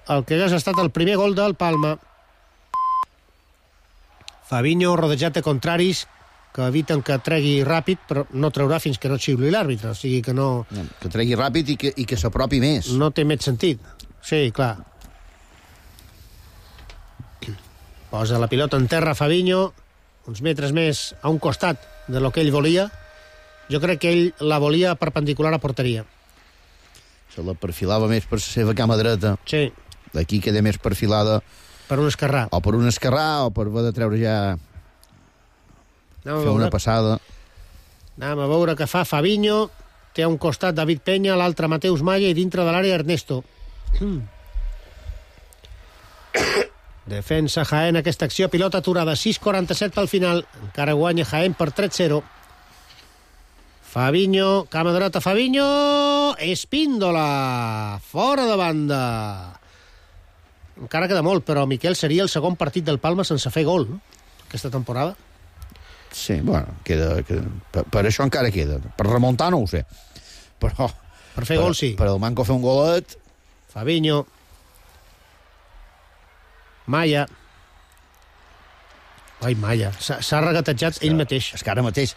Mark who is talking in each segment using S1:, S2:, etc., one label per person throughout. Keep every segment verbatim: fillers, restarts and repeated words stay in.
S1: el que hagués estat el primer gol del Palma. Fabinho rodejat de contraris que eviten que tregui ràpid, però no traurà fins que no xiuli l'àrbitre, o sigui que no...
S2: Que tregui ràpid i que, i que s'apropi més.
S1: No té més sentit. Sí, clar. Posa la pilota en terra Fabinho, uns metres més a un costat de lo que ell volia. Jo crec que ell la volia perpendicular a porteria.
S2: Se la perfilava més per la seva cama dreta.
S1: Sí.
S2: D'aquí queda més perfilada...
S1: Per un esquerrà.
S2: O per un esquerrà, o per haver de treure ja... Fer una passada.
S1: Anem a veure què fa Fabinho. Té a un costat David Peña, l'altre Mateus Maya i dintre de l'àrea Ernesto. Defensa Jaén aquesta acció, pilota aturada, sis quaranta-set pel final. Encara guanya Jaén per tres zero. Fabinho, cama dreta Fabinho, Espíndola, fora de banda. Encara queda molt, però Miquel seria el segon partit del Palma sense fer gol, no? Aquesta temporada.
S2: Sí, bueno, queda, queda per, per això encara queda. Per remuntar no ho sé. Però...
S1: Per fer
S2: per,
S1: gol, sí.
S2: Per el manco fer un golet...
S1: Fabinho. Maya. Ai, Maya. S'ha regatejat ell mateix.
S2: És que ara mateix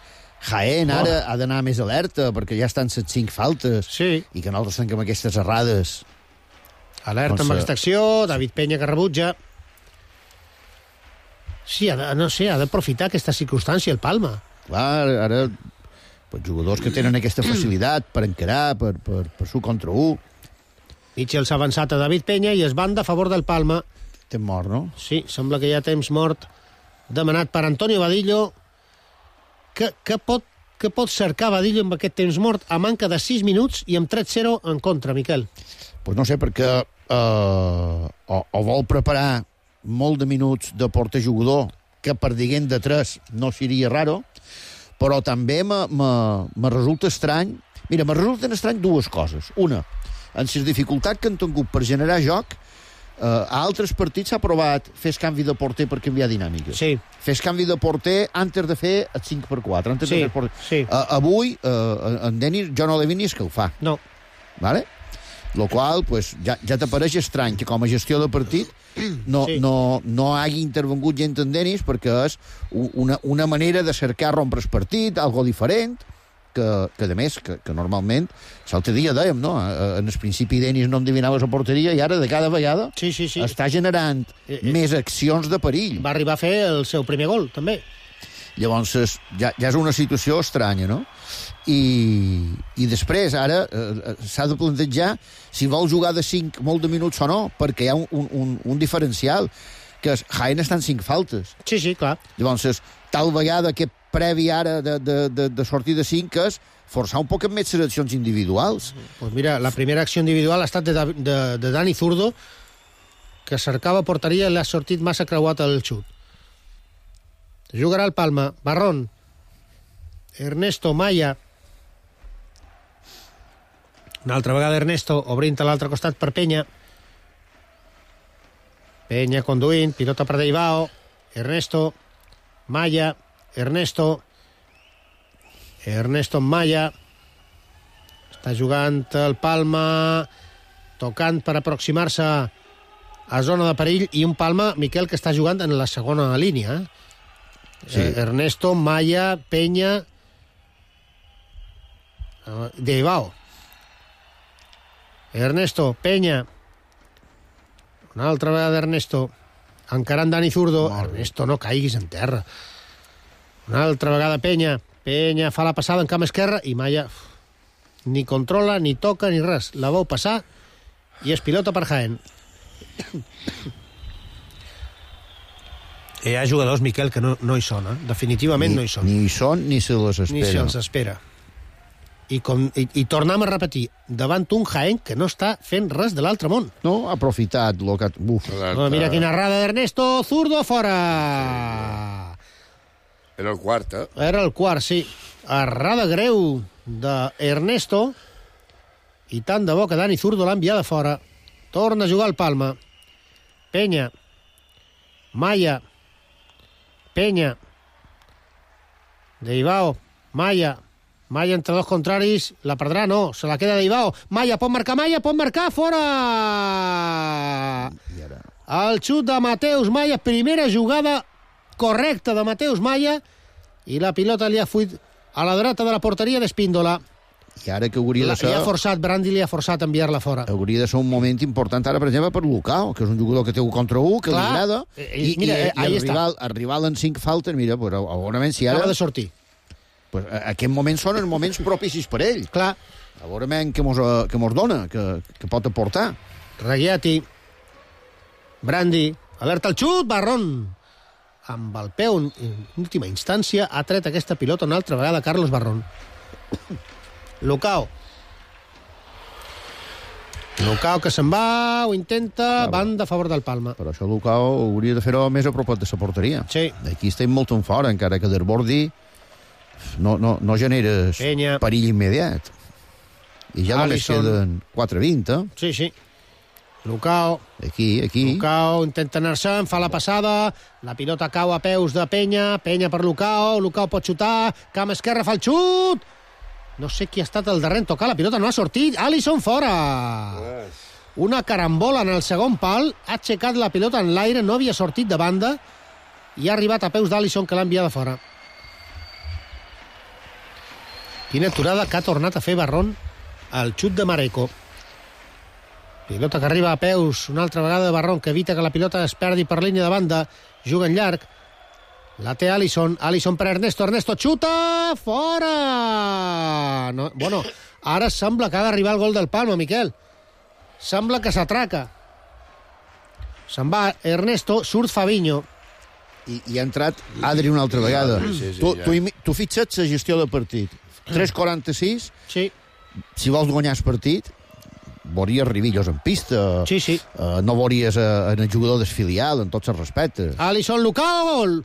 S2: Jaén ara oh. ha d'anar més alerta perquè ja estan set cinc faltes.
S1: Sí.
S2: I que nosaltres tanquem aquestes errades.
S1: Alerta doncs, amb aquesta acció. David Peña que rebutja. Sí, ha de, no sé, ha d'aprofitar aquesta circumstància el Palma.
S2: Clar, ara pues, jugadors que tenen aquesta facilitat per encarar, per, per, per su contra u.
S1: Mitchell s'ha avançat a David Peña i es banda a favor del Palma.
S2: Temps mort, no?
S1: Sí, sembla que hi ha temps mort demanat per Antonio Vadillo. Que, que, pot, que pot cercar Vadillo amb aquest temps mort a manca de sis minuts i amb tres zero en contra, Miquel?
S2: Pues no sé, perquè eh, o, o vol preparar molt de minuts de porter-jugador, que per diguent de tres no seria raro, però també me, me, me resulta estrany... Mira, me resulten estrany dues coses. Una, en les dificultats que han tingut per generar joc, eh, a altres partits s'ha provat fer canvi de porter per canviar dinàmiques.
S1: Sí.
S2: Fer canvi de porter antes de fer el cinc per quatre. Antes
S1: sí,
S2: de fer porter.
S1: Sí.
S2: Uh, avui, uh, en Denis, jo no l'he vist ni escalfar.
S1: No.
S2: Vale? Lo qual, pues, ja, ja t'apareix estrany que com a gestió de partit no, sí. no, no hagi intervengut gent en Denis, perquè és una, una manera de cercar rompre el partit, algo diferent, que, que a més, que, que normalment l'altre dia dèiem, no? En el principi Denis no endevinava la porteria i ara de cada vegada
S1: sí, sí, sí.
S2: està generant eh, eh, més accions de perill.
S1: Va arribar a fer el seu primer gol, també.
S2: Llavors, ja, ja és una situació estranya, no? I, i després, ara, eh, s'ha de plantejar si vol jugar de cinc molt de minuts o no, perquè hi ha un, un, un diferencial, que és Jaén està en cinc faltes.
S1: Sí, sí, clar.
S2: Llavors, tal vegada que previ ara de, de, de, de sortir de cinc és forçar un poc més les accions individuals.
S1: Pues mira, la primera acció individual ha estat de, de, de Dani Zurdo, que cercava porteria i l'ha sortit massa creuat al xut. Jugarà el Palma. Barrón. Ernesto Maya. Una altra vegada Ernesto, obrint a l'altre costat per Peña. Peña conduint, pilota per Deibao. Ernesto. Maya. Ernesto. Ernesto Maya. Està jugant el Palma, tocant per aproximar-se a zona de perill, i un Palma, Miquel, que està jugant en la segona línia, eh? Sí. Ernesto, Maya, Peña, Deibao. Ernesto, Peña. Una altra vegada Ernesto. Encarant Dani Zurdo. Ernesto, no caiguis en terra. Una altra vegada Peña. Peña fa la passada en camp esquerra i Maya uf, ni controla, ni toca, ni res. La veu passar i és pilota per Jaén. Hi ha jugadors, Miquel, que no, no hi són, eh? Definitivament
S2: ni,
S1: no hi són.
S2: Ni hi són ni se les espera.
S1: Ni se'ls espera. I, com, i, i tornem a repetir, davant un Jaén que no està fent res de l'altre món.
S2: No, ha aprofitat lo que... Uf.
S1: No, mira quina errada d'Ernesto, Zurdo fora!
S3: Era el quart, eh?
S1: Era el quart, sí. Errada greu d'Ernesto, i tant de bo que Dani Zurdo l'ha enviada fora. Torna a jugar el Palma. Peña. Maya. Peña. Deibao. Maya. Maya entre dos contraris. La perdrà, no. Se la queda Deibao. Maya, pot marcar Maya, pot marcar, fora! El xut de Mateus Maya, primera jugada correcta de Mateus Maya, i la pilota li ha fuit a la dreta de la porteria d'Espíndola.
S2: I ara que hauria
S1: La,
S2: de ser...
S1: li ha forçat, Brandi li ha forçat a enviar-la fora.
S2: Hauria de ser un moment important ara, per exemple, per Lucao, que és un jugador que té un contra un, que
S1: Clar,
S2: li agrada,
S1: eh,
S2: i,
S1: mira,
S2: i,
S1: eh,
S2: i
S1: ahí
S2: el rival, el rival en cinc faltes, mira, però a veure si ara...
S1: Acaba de sortir.
S2: Pues, aquests moments són els moments propicis per ell.
S1: Clar.
S2: A veure què mos, que mos dona, que, que pot aportar.
S1: Raguiati. Brandi. Alerta el xut, Barrón. Amb el peu, en última instància, ha tret aquesta pilota una altra vegada Carlos Barrón. Lucao. Lucao que se'n va, ho intenta, banda a favor del Palma.
S2: Però això Lucao hauria de fer-ho més a propet de la porteria.
S1: Sí.
S2: Aquí estem molt en fora, encara que desbordi no, no, no generes
S1: Penya.
S2: perill immediat. I ja només
S1: Alisson.
S2: queden quatre vint, eh?
S1: Sí, sí. Lucao.
S2: Aquí, aquí.
S1: Lucao intenta anar-se'n, fa la passada, la pilota cau a peus de Penya, Penya per Lucao, Lucao pot xutar, cam esquerra fa el xut, no sé qui ha estat el darrer en tocar, la pilota no ha sortit, Alisson fora! Una carambola en el segon pal, ha aixecat la pilota en l'aire, no havia sortit de banda, i ha arribat a peus d'Alisson, que l'ha enviada fora. Quina aturada que ha tornat a fer Barrón al xut de Mareco. Pilota que arriba a peus, una altra vegada de Barrón, que evita que la pilota es perdi per línia de banda, juga en llarg, la té Alisson, Alisson per Ernesto, Ernesto xuta, fora! No, bueno, ara sembla que ha d'arribar el gol del Palma, Miquel. Sembla que s'atraca. Se'n va Ernesto, surt Fabinho.
S2: I, i ha entrat Adri una altra vegada.
S3: Sí, sí,
S2: tu,
S3: ja.
S2: tu, imi- tu fixa't la gestió del partit. tres quaranta-sis,
S1: Sí,
S2: si vols guanyar el partit, veuries ribillos en pista,
S1: sí, sí.
S2: uh, no veuries uh, en el jugador desfilial, en tots els respectes.
S1: Alisson, Lucao, gol!